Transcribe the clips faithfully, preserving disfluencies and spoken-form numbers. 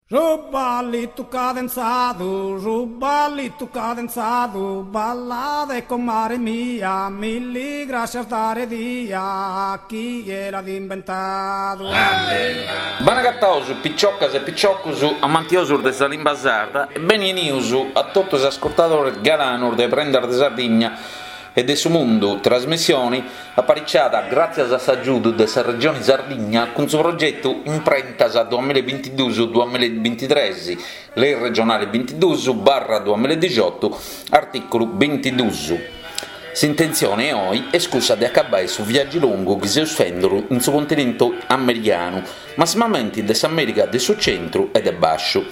Su ballitu cadenzadu, su ballitu cadenzadu, ballade comare mia, milli grascias dare dia, chie l'at imbentadu. Beni agataus piciocas e piciocus amantiosus de sa limba sarda e beni 'enius a totu is ascurtadores galanus de Prendas de Sardigna e de su Mundu, trasmissioni apariciada gràtzias a s'agiudu de sa Regioni Sardigna cun su progetu Imprentas duamilla e bintiduus duamilla e bintitres, Lei regionale bintiduus barra duamilla e dixiotu, artìculu bintiduus. S'intentzione oi est cussa de acabbai su viàgiu longu chi seus fenduru in su continentu americanu, massimamenti de s'Amèrica de su centru e de bàsciu.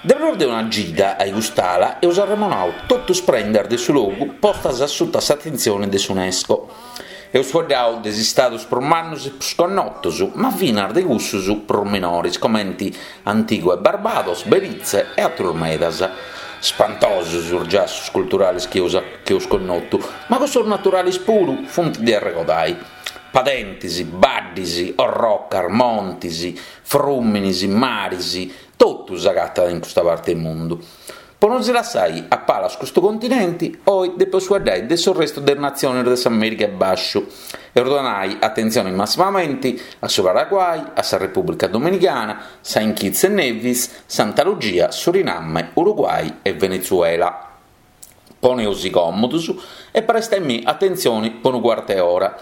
De prus de una gida a cust'ala eus arremonau totu is prendas de su logu postas a suta s'atentzione de s'UNESCO. Eus fueddau de is istadus prus mannus e prus connotos, ma finas de cussus prus minores comenti Antigua e Barbados, Belize e atrus medas. Spantosus is giassus culturales chi eus chi eus connotu, ma cussus naturales puru funt de arregodai. Padentis, baddis, orrocas, montis, frùminis, maris, totu s'agatat in custa parte 'e mundu. Po no si lassai a palas custu continenti, oi depeus fueddai de su restu de is natzionis de s'Amèrica 'e Bàsciu. Eus donai atentzioni massimamenti a su Paraguay, a sa Repùblica Dominicana, Saint Kitts e Nevis, Santa Lugia, Suriname, Uruguay e Venezuela. Poneus còmodus e prestaimì atentzioni po unu cuartu 'e ora.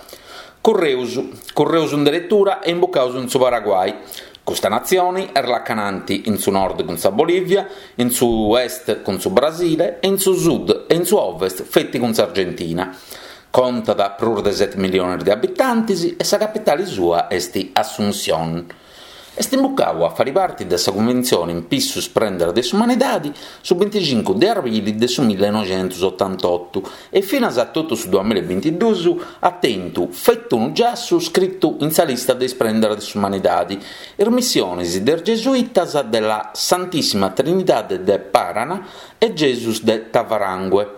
Curreus, curreus in deretura e imbucaus in su Paraguay. Custa natzioni est lacananti in su nord cun sa Bolivia, in su est cun su Brasile e in su sud e in su ovest feti cun s'Argentina. Contat prus de seti milliones de abitantes e sa capitale sua est Asunción. Est imbucau a fari parti de sa Cunventzione in pissu is prendas de s'umanidadi su binticincu de arbili de su millenoixentus-otantotu e finas a totu su duamilla e bintiduus at tentu feti unu giassu scritu in sa lista de is prendas de s'umanidadi, is missionis de is gesuitas de la Santissima Trinidade de Paraná e Gesus de Tavarangue.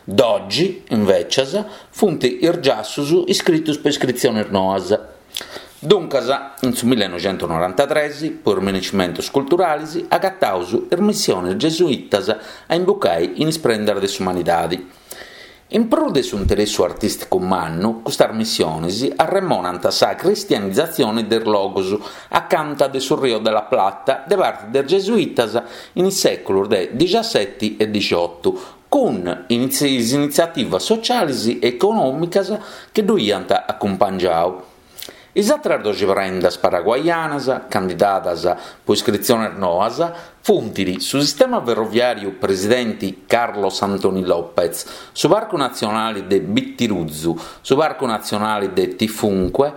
Doxi, invècias, funt is giassus iscritus po iscritzionis noas. Duncas, in su millenoixentusnorantatres, po is minescimentus culturalis, agataus is missionis gesuitas a imbucai in is prendas de s'umanidadi. In prus de su interessu artìsticu mannu, custas missionis arremonant sa cristianizatzione de is logos acanta de su Rio de la Plata de parte de is gesuitas in is sèculos de dixaseti e dixiotu, cun is initziativas sociales e econòmicas chi ddu iant acumpangiadu. Is àteras doxi prendas paraguaianas, candidadas po iscritziones noas, funt su sistema ferroviàriu Presidente Carlos Antonio López, su Parcu Natzionale de Bitiruzu, su Parcu Natzionale de Tifunque,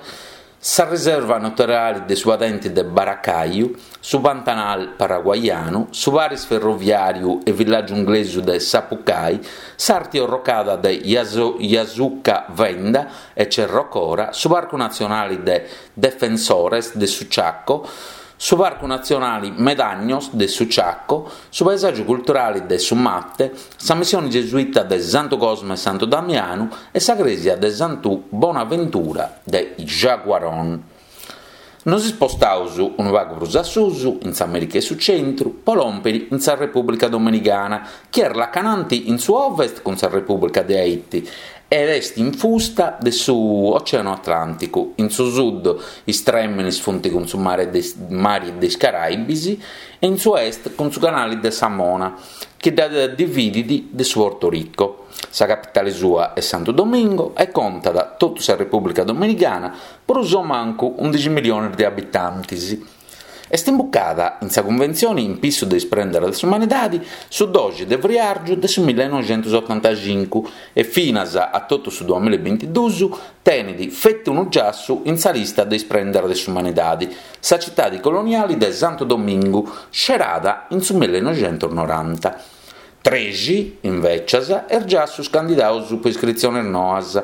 sa riserva naturale de su padente de Baracaju, su Pantanal paraguaianu, su paris ferroviàriu e villàgiu inglesu de Sapucai, s'arti orrocada de Jasuca Venda e Cerro Cora, su Parcu Natzionale de Defensores de su Chaco, su Parcu Natzionale Medaños de su Chaco, su paesàgiu culturale de su Mate, sa missione gesuita de Santu Cosme e Santu Damianu e sa crèsia de Santu Bonaventura de Yaguarón. Nos ispostaus unu pagu prus a susu, in s'Amèrica 'e su Centru, po lòmpiri in sa Repùblica Dominicana, chi est lacananti in su ovest cun sa Repùblica de Haiti ed est infusta de su Oceanu Atlànticu, in su sud is trèminis funt cun su mare de mari de is Caraibis e in su est cun su canale de sa Mona, chi dda dividit de su Porto Rico. Sa capitale sua est Santu Domingo e contat totu sa Repùblica Dominicana prus o mancu undixi milliones de abitantes. Est imbucada in sa Cunventzione in pissu de is prendas de s'umanidadi su doxi de friàrgiu de su millenoixentusotantacincu e finas a totu su duamilla e bintiduus tenit feti unu giassu in sa lista de is prendas de s'umanidadi, sa citadi coloniali de Santu Domingu, scerada in su millenoixentusnoranta. Trexi, invècias, is giassus candidaus po iscritziones noas.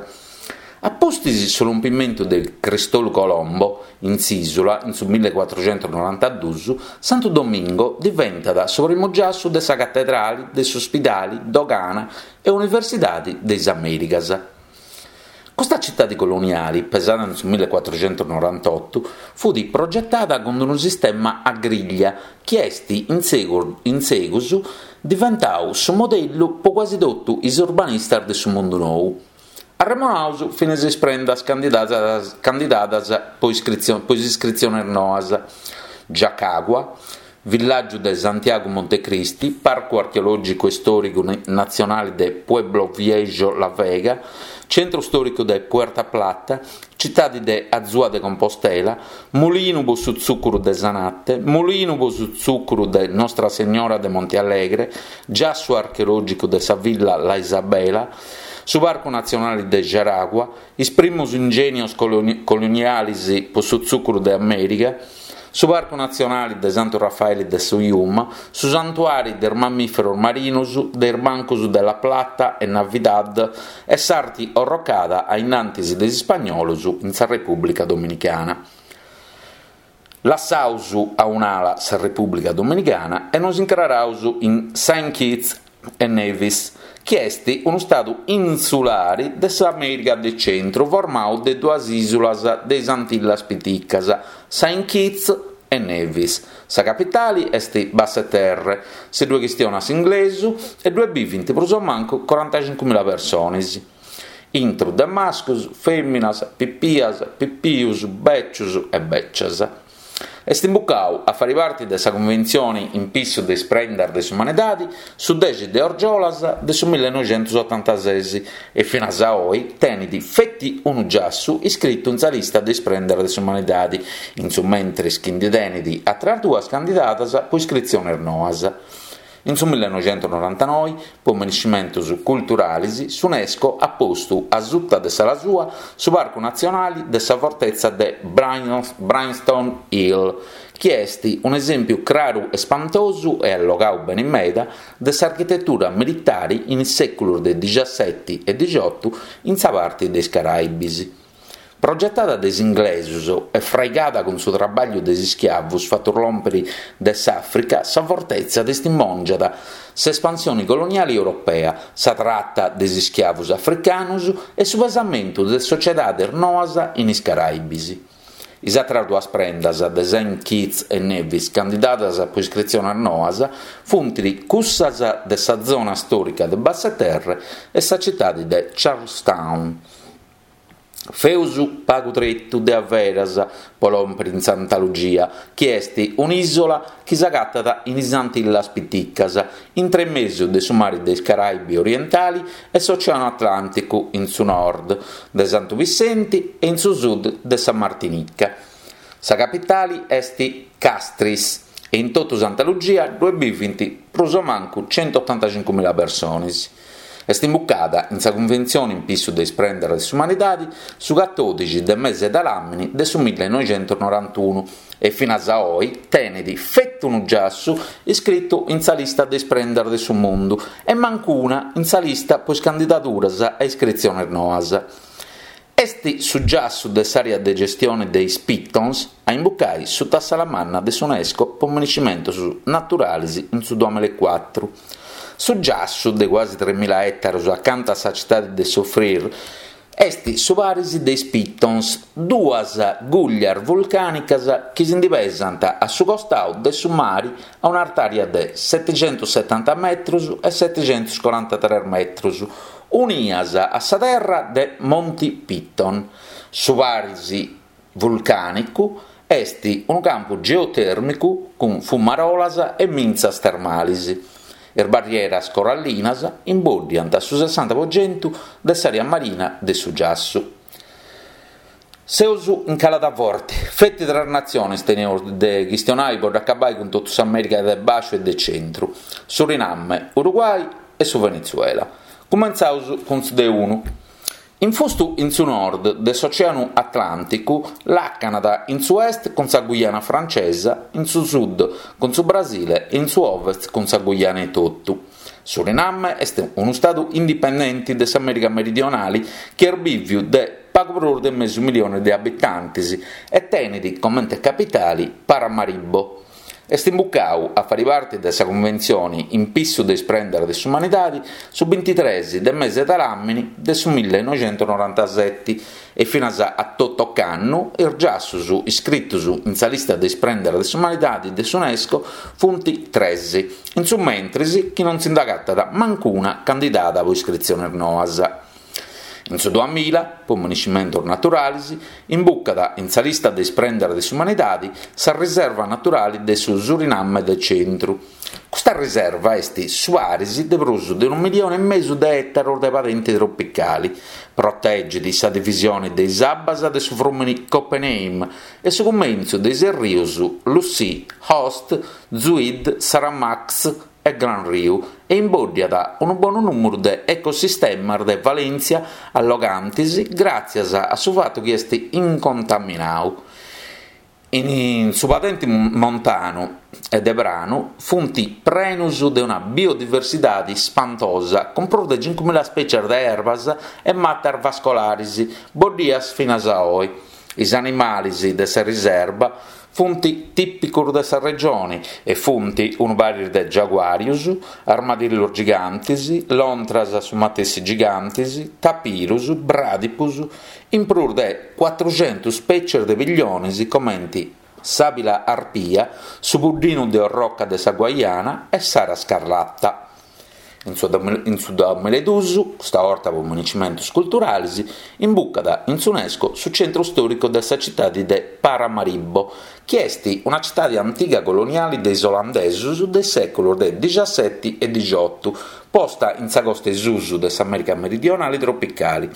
A pustis su lompimentu de Cristolu Colombo in s'ìsula in su millecuatruxentusnorantaduus, Santu Domingo diventat su primu giassu de sa catedrali de s'ospidali, dogana e universidadi de is Amèricas. Custa citade coloniale, pesada in su millecuatruxentusnorantotto, fut progetada cun unu sistema a griglia chi est in segus diventadu su modellu pro quasi totu is urbanistas de su mundu nou. Arremonaus finas is prendas candidadas, candidadas pro is iscritziones noas. Jacagua, villàgiu de Santiago Montecristi, Parcu Archeològicu e Istòricu Natzionale de Pueblo Viejo La Vega, Centru Stòricu de Puerto Plata, Citade de Azua de Compostela, Mulinu pro su Tzùcuru de Zanate, Mulinu pro su Tzùcuru de Nostra Signora de Monte Alegre, Giassu Archeològicu de sa Villa La Isabela, su Parcu Natzionale de Jaragua, is primos ingènios coloniales pro su tzùcuru de Amèrica, su Parcu Natzionale de Santu Rafaeli de su Yuma, su Santuàriu de is mammìferos marinos, de is bancos de La Plata e Navidad e s'arti orrocada a innantis de is ispagnolos in sa Repùblica Dominicana. Lassaus a un'ala sa Repùblica Dominicana e nos incraraus in Saint Kitts e Nevis, chi est unu stadu insulare de s'Amèrica de Centru formadu de duas ìsulas de is Antillas Piticas, Saint Kitts e Nevis. Sa capitale est Basseterre, si ddue chistionat s'inglesu e ddue bivint prus o mancu corantacincu mila persones. Intro de mascos, fèminas, pipias, pipius, bècios e bècias. Est imbucadu a fare parte de sa Conventzione in pissu de is prendas de s'umanidade su dexi de Orgiolas de su millenoixentusotantases e finas a oe tenet feti unu giassu iscritu in sa lista de is prendas de s'umanidade, in su mentres chi nde tenet àteras duas candidadas pro iscritziones noas. In su millenoixentusnorantanoe, pro merescimentos culturales, s'UNESCO at postu a suta de s'ala sua su Parcu Natzionale de sa Fortetza de Brimstone Hill, chi est un'esèmpiu craru e spantosu e allogadu bene meda de s'architetura militare in is sèculos de diciasete e diciotto in sa parte de is Caraibis. Progetada de is inglesos e fraigada cun su traballu de is ischiavos fatu lòmpere de s'Àfrica, sa fortetza testimòngiat s'espansione coloniale europea, sa trata de is ischiavos africanos e su pesamentu de sotziedades noas in is Caraibis. Is àteras duas prendas de Saint Kitts e Nevis candidadas pro iscritziones noas funt cussas de sa zona stòrica de Basseterre e sa citade de Charlestown. Feus pagu tretu de averas pro lòmpere in Santa Lugia, chi est un'ìsula chi s'agatat in is Antillas Piticas, intre mesu de su mare de is Caraibi orientale e s'Oceano Atlànticu in su nord, de Santu Vissenti e in su sud de sa Martinica. Sa capitale est Castries e in totu Santa Lugia ddue bivint prus o mancu centuotantacincu mila persones. Est imbucada in sa Cunventzione in pissu de is prendas de s'umanidade su catòdixi de mese de làmini de su millenoixentusnorantunu e finas a oe tenet feti unu giassu iscritu in sa lista de is prendas de su mundu e mancuna in sa lista pro is candidaduras a iscritziones noas. Est su giassu de s'àrea de gestione de is Pitons a imbucare suta s'ala manna de s'UNESCO pro merescimentos naturales in su duamillaecuatru. Su giassu de quasi tremila ètaros acanta a sa citade de Soufrière est su paris de is Pitons, duas gùglias vulcànicas chi si nde pesant a su costadu de su mare a un'artària de setecentosetanta metros e setecentocorantatrès metros, unias a sa terra de Monti Piton. Su paris vulcànicu est unu campu geotèrmicu cun fumarolas e mintzas termales. Is barrieras corallinas imbòddiant su sessanta pro chentu de s'àrea marina de su giassu. Seus in calada forte, feti tres natziones teneus de chistionare pro dd'acabare cun totu s'Amèrica de Bàsciu e de Centru, Suriname, Uruguay e su Venezuela. Cumentzaus cun su de unu. Infustu in su nord de s'Oceanu Atlànticu, làcanat in su est cun sa Guyana francesa, in su sud cun su Brasile e in su ovest cun sa Guyana etotu. Suriname est unu stadu indipendente de s'Amèrica Meridionale chi est bìviu de pagu prus de mesu milione de abitantes e tenet comente capitale Paramaribo. Est imbucau a fari parti de sa Cunventzioni in pissu de is prendas de s'umanidadi su bintitres de mese de ladàmini de su millinoixentusnorantaseti e finas a totu ocannu is giassus iscritus in sa lista de is prendas de s'umanidadi de s'UNESCO funt tres, in su mentris chi non si nd'agatat mancuna candidada po iscritziones noas. In su duamilla, po moniscimentos naturalis, imbucat in sa lista de is prendas de s'umanidadi sa riserva naturali de su Suriname de Centru. Custa riserva est su paris de prus de unu milione e mesu de ètaros de padenti tropicali, protegit sa divisione de is abbas de su frùmene Coppename e su cumentzu de is rios Lucie, Oost, Zuid, Saramacca e Gran Riu e imbòddiat unu bonu nùmeru de ecosistemas de valèntzia allogantes gràtzias a su fatu chi est incontaminadu. In su padente montanu e de pranu funt prenos de una biodiversidade ispantosa cun prus de cincu mila spècies de erbas e matas vascolares boddias finas a oe. Is animales de sa riserva funt tìpicos de sa regione e funt unu paris de giaguàrios, armadillos gigantes, lontras su matessi gigantes, tapirus, bràdipos, in prus de cuatrucentos spècies de pilliones comente s'àbbila arpia, su puddinu de orroca de sa Guayana e s'ara scarlata. In su in su duamillaeduus, custa 'orta po moniscimentos culturales, imbucat in s'UNESCO su centru stòricu de sa citade de Paramaribo, chi est una citade antiga coloniale de is olandesos de is sèculos de diciaseti e diciotu, posta in sa costa 'e susu de s'Amèrica meridionale tropicale.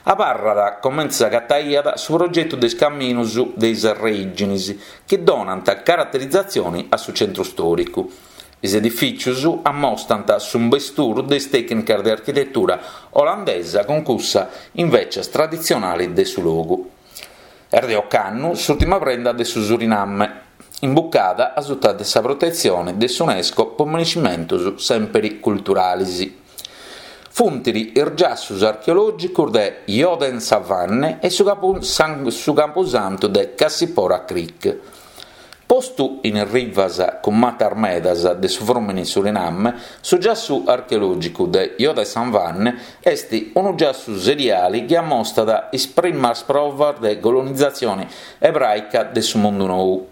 Abarrat comente s'agataiat su progetu de is caminos de is reìgines chi donant caraterizatzione a su centru stòricu. Is edifìtzios ammostrant su imbesturu de is tècnicas de architetura olandesa cun cussa invecias traditzionale de su logu. Est de ocannu s'ùrtima prenda de su Suriname, imbucada a suta de sa protetzione de s'UNESCO po moniscimentos sempre culturales. Funt is giassos archeològicos de Jodensavanne e su, capu, san, su campusantu de Cassipora Creek. Postu in rivas cun matas medas de su frùmene Suriname, su giassu archeològicu de Jodensavanne est unu giassu seriale chi ammostrat is primas provas de colonizatzione ebràica de su mundu nou.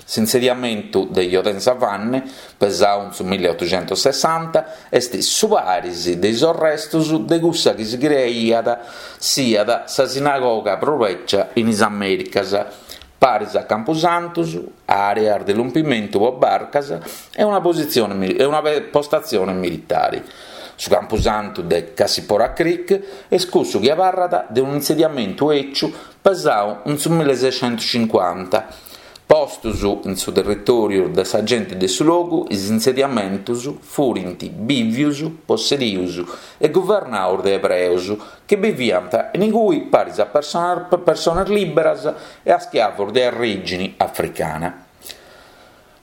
S'insediamentu de Jodensavanne, pesadu in su milleotoxentosessanta, est su paris de is restos de cussa chi si creiat siat sa sinagoga prus becia in is Amèricas, paris a campusantos, àreas de lompimentu po barcas e una, positzione, e una postazione militare. Su campusantu de Cassipora Creek est cussu chi abarrat de un'insediamentu eciu pesadu in su milleseiscentocincuanta. Postos in su territòriu de sa gente de su logu, is insediamentos furint bìvios, possedidos e guvernados de ebreos chi biviant in igue paris a personas, personas lìberas e a schiavos de orìgine africana.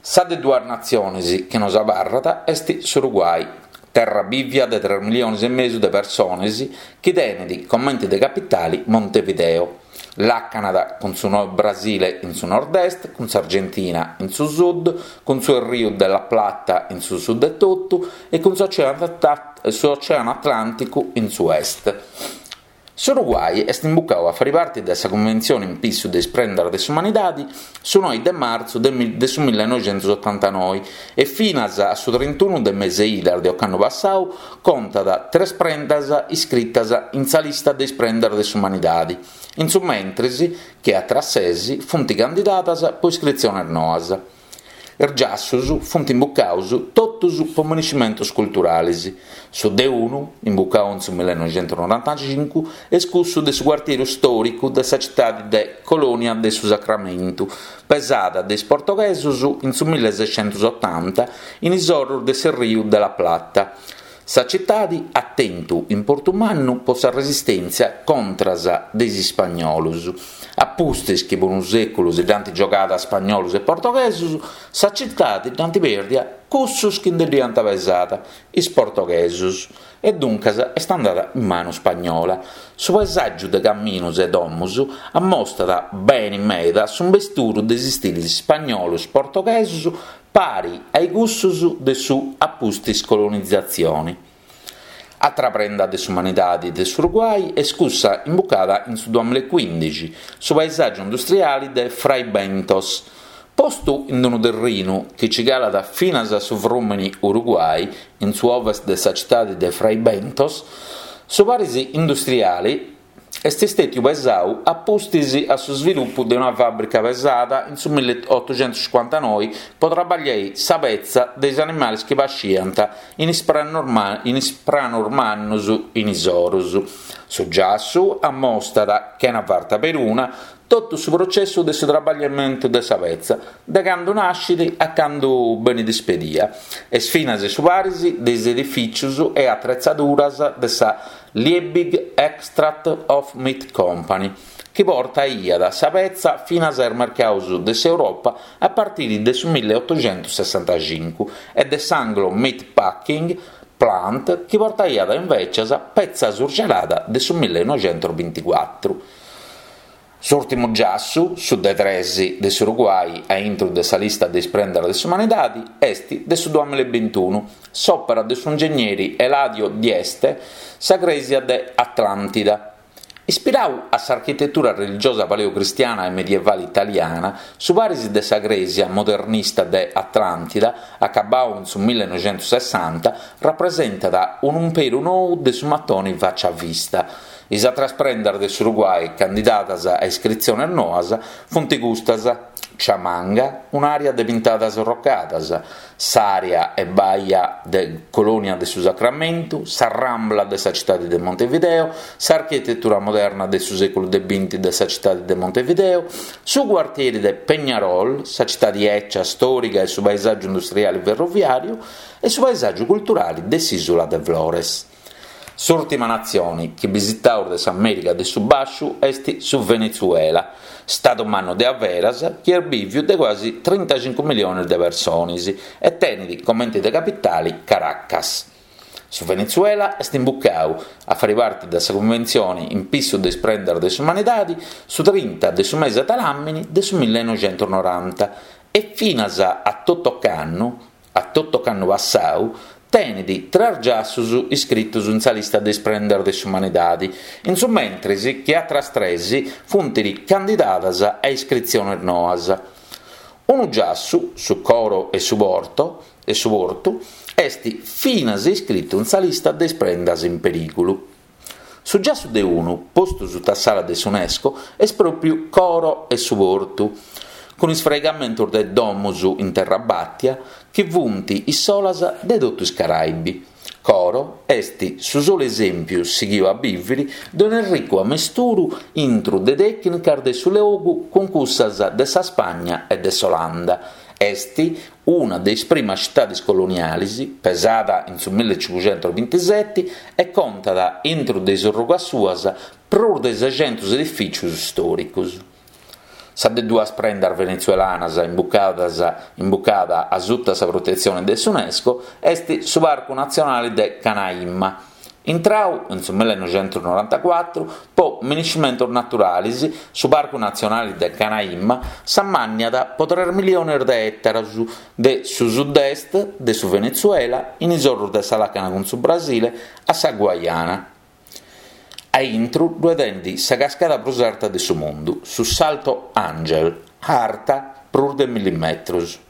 Sa de duas natziones chi nos abarrat est s'Uruguay, terra bìvia de tres miliones e mesu de persones chi tenet comente de capitale Montevideo. Làcanat cun su Brasile in su nord-est, cun s'Argentina in su sud, cun su Rio de la Plata in su sud e totu e cun s'Oceano Atlànticu in su est. S'Uruguay est imbucadu a fare parte de sa Conventzione in pissu de is prendas de s'umanidade su noe de martzu de, de su millinoixentosotantanoe e finas a su trintunu de mese idas de ocannu passadu contat tres prendas iscritas in sa lista de is prendas de s'umanidade. In su mentris chi atras ses funt candidadas po iscritziones noas. Is giassos funt imbucados totus po moniscimentos culturales. Su de unu, imbucadu in su millinoixentonorantacincu, est cussu de su quartiere stòricu de sa citade de Colònia de su Sacramento, pesada de is portoghesos in su milleseiscentosotanta in is oros de su Rio de la Plata. Sa citadi at tentu importu mannu po sa resistèntzia contras de is ispagnolos. A pustis chi po unu sèculu si dd'ant giogada ispagnolos e portoghesos, sa citadi dd'ant pèrdia cussos chi nde dd'iant pesada, is portoghesos, e duncas est andada in manu ispagnola. Su paesàgiu de caminos e domos ammostat bene meda su imbesturu de is istiles ispagnolos portoghesos pari a cussos de su a pustis colonizatzione. Atra prenda de s'umanidade de s'Uruguay est cussa imbucada in su duamilla e quindixi, su paesàgiu industriale de Fray Bentos. Postu in unu terrinu chi ci calat finas a su frùmene Uruguay, in su ovest de sa citade de Fray Bentos, su paris industriale est istètiu pesadu a pustis a su svilupu de una fàbrica pesada in su milleottocentocinquantanove pro trabagliare sa petza de is animales chi pasciant in is pranos mannos in is oros. Su giassu ammostat, chena farta peruna, totu su processu de su trabagliamentu de sa petza, de cando naschet a cando benit ispedia. Est finas su paris de is edifìtzios e atretzaduras de sa Liebig Extract of Meat Company, chi portaiat sa petza finas a is mercados de s'Europa a partire de su milleottocentosessantacincu e de s'Anglo Meat Packing Plant, chi portaiat invecias petza surgelada de su millenoicentobinticuatru. S'ùrtimu giassu, su de tres de s'Uruguay a intro de sa lista de is prendas de s'umanidade, est de su duamilla e bintunu, s'òpera de s'ingegneri Eladio Dieste, sa crèsia de Atlàntida. Ispiradu a s'architetura religiosa paleocristiana e medievale italiana, su paris de sa crèsia modernista de Atlàntida, acabadu in su millenovecentosessanta, rapresentat un'imperu nou de su matone faccia a vista. Is atras prendas de s'Uruguay candidadas a iscritziones noas funt custas: Chamanga, un'àrea de pintadas rocadas, s'àrea e baia de Colonia de su Sacramento, sa Rambla de sa citade de Montevideo, s'architetura moderna de su sèculu de binti de sa citade de Montevideo, su quartieri de Peñarol, sa citade eccia stòrica e su paesàgiu industriale ferroviàriu e su paesàgiu culturale de s'ìsula de Flores. S'ùrtima natzione chi bisitaus de s'Amèrica de su Bàsciu est su Venezuela, stadu mannu de averas chi est bìviu de quasi trintacincu miliones de persones e tenet comente de capitale Caracas. Su Venezuela est imbucadu a fare parte de sa Conventzione in pissu de is prendas de s'umanidade su trinta de su mese de làmene de su millenoicentonoranta e finas a totu ocannu, a totu ocannu passadu, tenet tres giassos iscritos in sa lista de is prendas de s'umanidade, in su mentres chi atras tres funt candidadas a iscritziones noas. Unu giassu, su Coro e su Porto, e su Porto, est finas iscritu in sa lista de is prendas in perìgulu. Su giassu de unu, postu sutta s'ala de s'UNESCO, est pròpiu Coro e su Portu, cun is fraigamentos de domos in terra bàtia chi funt is solas de totu is Caraibi. Coro est su solu esèmpiu sighiu a bìvere de un'erricu ammesturu intro de tècnicas de su logu cun cussas de sa Spagna e de s'Olanda. Est una de is primas citades coloniales, pesada in su millecincucentobintisete, e contat intro de is orrugas suas prus de seicentos edifìtzios istòricos. Sa de duas prendas venezuelanas imbucadas, imbucada a sutta sa protetzione de s'UNESCO est su Parcu Natzionale de Canaima. Intrau in su millenoicentonorantacuatru po miniscimentos naturales, su Parcu Natzionale de Canaima s'ammànniat po tres miliones de ètaros de su sud-est de su Venezuela, in is orros de sa làcana cun su Brasile, a sa Guayana. A intro ddoe tenet sa cascada prus arta de su mundu, su Salto Angel, arta prus de milli metros.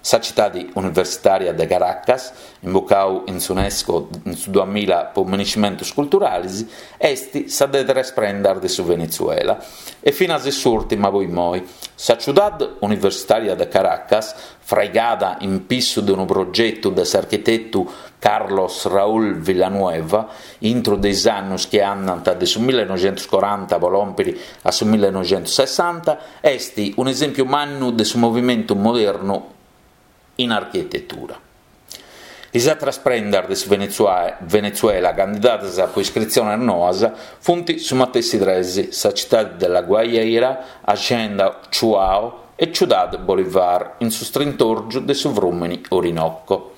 Sa citade universitària de Caracas, imbucadu in s'UNESCO in su duamilla po miniscimentos culturales, est sa de tres prendas de su Venezuela. E finas s'ùrtima po immoi. Sa ciudad universitària de Caracas, fraigada in pissu de unu progetu de s'architetu Carlos Raúl Villanueva, intro de is annos chi andant de su millenoicentocoranta po lòmpere a su millenoicentosessanta, est un esèmpiu mannu de su movimentu modernu in architetura. Is atras prendas de su Venezuela candidadas po iscritziones noas sunt su matessi tres: sa tzitade de La Guajira, Hacienda Chuao e Ciudad Bolívar, in su strintòrgiu de su frùmene Orinoco.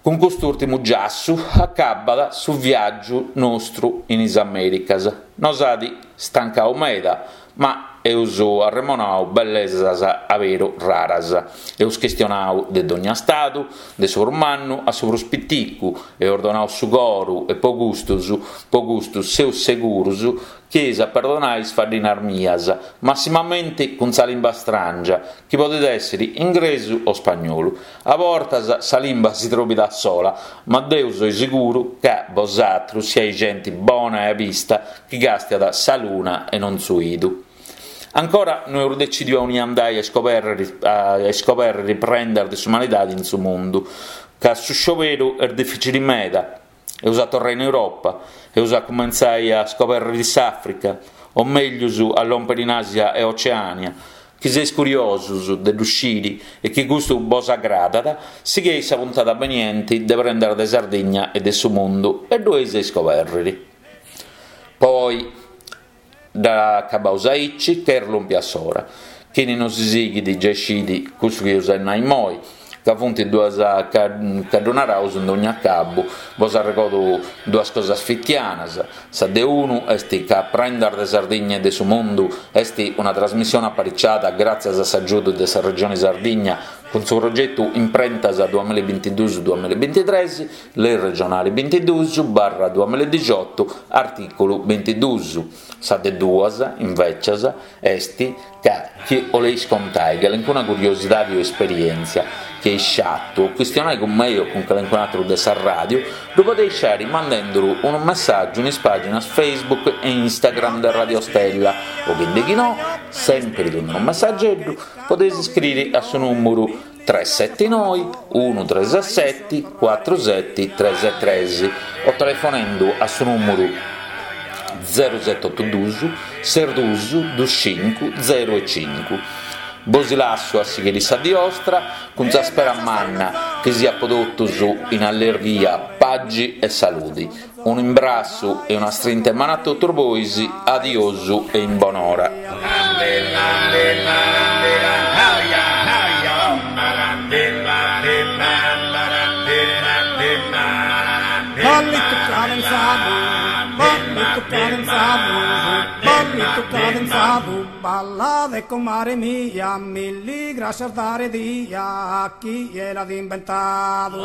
Cun custu ùrtimu giassu acabbat su viàgiu nostru in is Amèricas. Nos at stancadu meda, ma eus arremonadu bellesas a beru raras. Eus chistionadu de dogna stadu, de su prus mannu a su prus piticu, eus donadu su coru e po custos, po custu seus seguros chi eis a perdonare is faddinas mias, massimamente cun sa limba stràngia, chi podet èssere ingresu o spagnolu. A bortas sa limba si trobit a sola, ma deo so seguru ca bosatrus siais gente bona e abista chi càstiat sa luna e non su idu. Ancora no eus detzidiu aunia andai a iscobèrrere a iscobèrrere prendas de s'umanidade in su mundu, ca su scioberu est dificili meda. Eus a torrai in Europa, eus a cumentzai a scobèrrere s'Àfrica, o mègius a lòmpere in Àsia e Oceània. Chi seis curiosos de ddu sciri e chi custu bos agradat, sighei sa puntada beniente de Prendas de Sardigna e de su Mundu e ddu eis a iscobèrrere. Poi dd'acabaus aici ca est lòmpia s'ora. Chini nos sighit giai scit cussu chi eus a nai immoi, ca funt duas ca ddu naraus in dogna acabu. Bos arregodu duas cosas fitianas, sa de unu est ca Prendas de Sardigna e de su Mundu est una trasmissione apariciada gràtzias a s'agiudu de sa Regione Sardigna cun su progetu Imprentas duamilla e bintiduus duamilla e bintitres, Lei regionale bintiduus barra duamilla e dixiotu, artìculu bintiduus. Sa de duas, invècias, est ca chi 'oleis contai calincuna curiosidadi o esperièntzia chi eis fatu o chistionai cun mei o cun calincun'atru de sa ràdiu, ddu podeis fàere mandenduru unu messàgiu in is pàginas Facebook e Instagram de Radio Stella o chi no, sèmpiri cun unu messageddu, podeis iscriri a su nùmeru tres seti noi unu tres seti cuatru seti tres tres o telefonendu a su nùmeru zero seti otu dus ses dus dus cincu zero e cincu. Bos lassu a sighiri sa die 'ostra cun sa spera manna chi siat po totus in allerghia, pagi e saludi. Unu imbrassu e una strinta 'e manu a totus bois, adiosu e in bonora. Ballittu cadenzadu, ballittu cadenzadu, ballittu cadenzadu, ballade comare mia, milli grascias dare dia a chie l'at inventadu.